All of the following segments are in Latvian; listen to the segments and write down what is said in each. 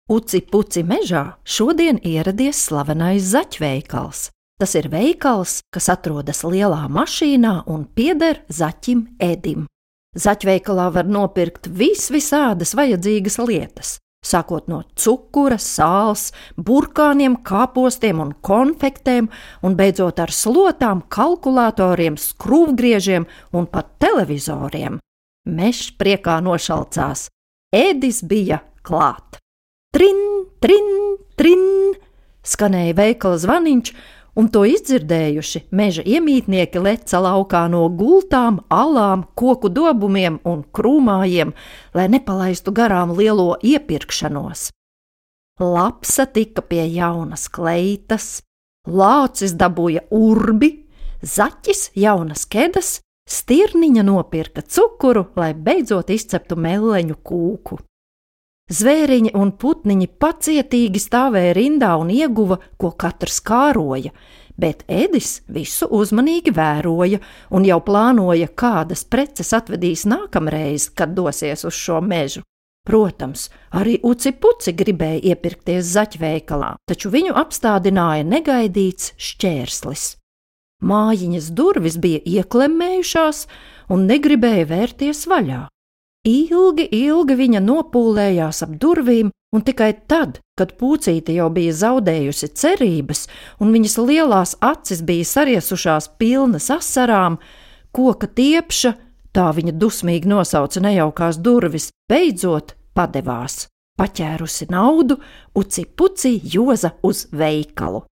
Uci-puci mežā šodien ieradies slavenais zaķveikals. Tas ir veikals, kas atrodas lielā mašīnā un pieder zaķim Edim. Zaķveikalā var nopirkt visādas vajadzīgas lietas, sākot no cukura, sāls, burkāniem, kāpostiem un konfektēm, un beidzot ar slotām, kalkulatoriem, skrūvgriežiem un pat televizoriem. Mežs priekā nošalcās. Edis bija klāt. Trin, trin, trin, skanēja veikala zvaniņš, un to izdzirdējuši meža iemītnieki leca laukā no gultām, alām, koku dobumiem un krūmājiem, lai nepalaistu garām lielo iepirkšanos. Lapsa tika pie jaunas kleitas, lācis dabūja urbi, zaķis jaunas kedas, stirniņa nopirka cukuru, lai beidzot izceptu melleņu kūku. Zvēriņi un putniņi pacietīgi stāvēja rindā un ieguva, ko katrs kāroja, bet Edis visu uzmanīgi vēroja un jau plānoja, kādas preces atvedīs nākamreiz, kad dosies uz šo mežu. Protams, arī Uci-puci gribēja iepirkties zaķveikalā, taču viņu apstādināja negaidīts šķērslis. Mājiņas durvis bija ieklemmējušās un negribēja vērties vaļā. Ilgi viņa nopūlējās ap durvīm, un tikai tad, kad Pucīte jau bija zaudējusi cerības, un viņas lielās acis bija sariesušās pilnas asarām, koka tiepša, tā viņa dusmīgi nosauca nejaukās durvis, beidzot padevās. Paķērusi naudu, Uci-puci joza uz veikalu.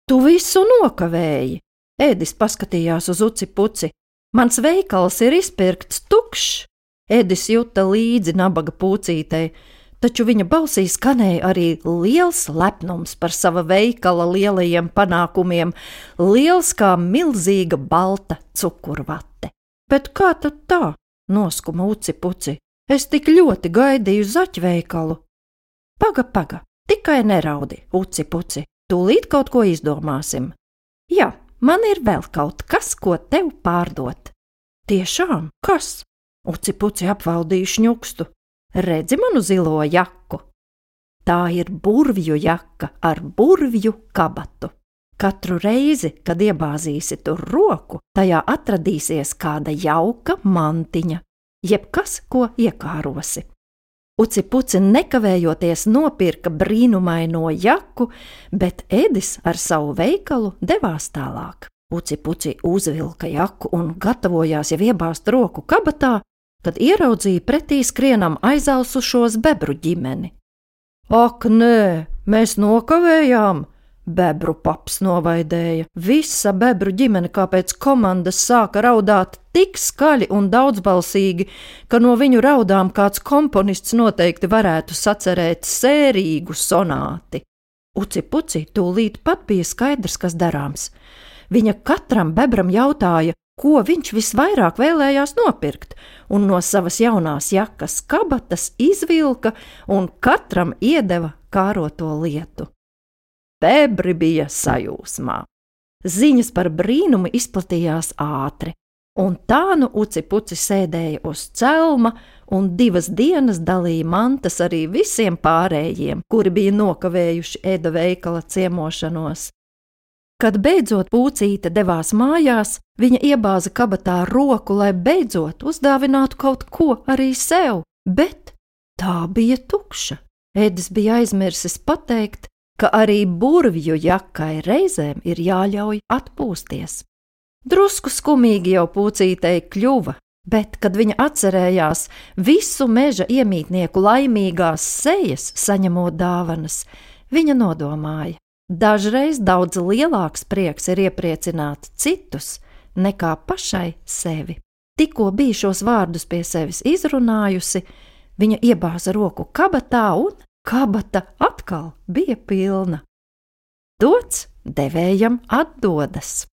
Tu visu nokavēji, Edis paskatījās uz Uci-puci. Mans veikals ir izpirkts tukšs. Edis juta līdzi nabaga Pucītei, taču viņa balsī skanēja arī liels lepnums par sava veikala lielajiem panākumiem, liels kā milzīga balta cukurvate. Bet kā tad tā? Noskuma Uci-puci. Es tik ļoti gaidīju zaķveikalu. Paga, tikai neraudi, Uci-puci, tūlīt kaut ko izdomāsim. Jā, man ir vēl kaut kas, ko tev pārdot. Tiešām, kas? Uci-puci apvaldīja šņukstu. Redzi manu zilo jaku? Tā ir burvju jaka ar burvju kabatu. Katru reizi, kad iebāzīsi tur roku, tajā atradīsies kāda jauka mantiņa, jebkas, ko iekārosi. Uci-puci nekavējoties nopirka brīnumaino jaku, bet Edis ar savu veikalu devās tālāk. Uci-puci uzvilka jaku un gatavojās jau iebāzt roku kabatā, kad ieraudzīja pretī skrienam aizausušos bebru ģimeni. Ak, nē, mēs nokavējām, bebru paps novaidēja. Visa bebru ģimene kā pēc komandas sāka raudāt tik skaļi un daudzbalsīgi, ka no viņu raudām kāds komponists noteikti varētu sacerēt sērīgu sonāti. Uci-puci tūlīt pat bija skaidrs, kas darāms. Viņa katram bebram jautāja, ko viņš visvairāk vēlējās nopirkt, un no savas jaunās jakas kabatas izvilka un katram iedeva kāroto lietu. Bebri bija sajūsmā. Ziņas par brīnumu izplatījās ātri, un tā nu Uci-puci sēdēja uz celma un 2 dienas dalīja mantas arī visiem pārējiem, kuri bija nokavējuši Eda veikala ciemošanos. Kad beidzot Pucīte devās mājās, viņa iebāza kabatā roku, lai beidzot uzdāvinātu kaut ko arī sev, bet tā bija tukša. Edis bija aizmirsis pateikt, ka arī burvju jakai reizēm ir jāļauj atpūsties. Drusku skumīgi jau Pucītei kļuva, bet, kad viņa atcerējās visu meža iemītnieku laimīgās sejas saņemot dāvanas, viņa nodomāja. Dažreiz daudz lielāks prieks ir iepriecināt citus nekā pašai sevi. Tikko bija šos vārdus pie sevis izrunājusi, viņa iebāza roku kabatā un kabata atkal bija pilna. Dots devējam atdodas.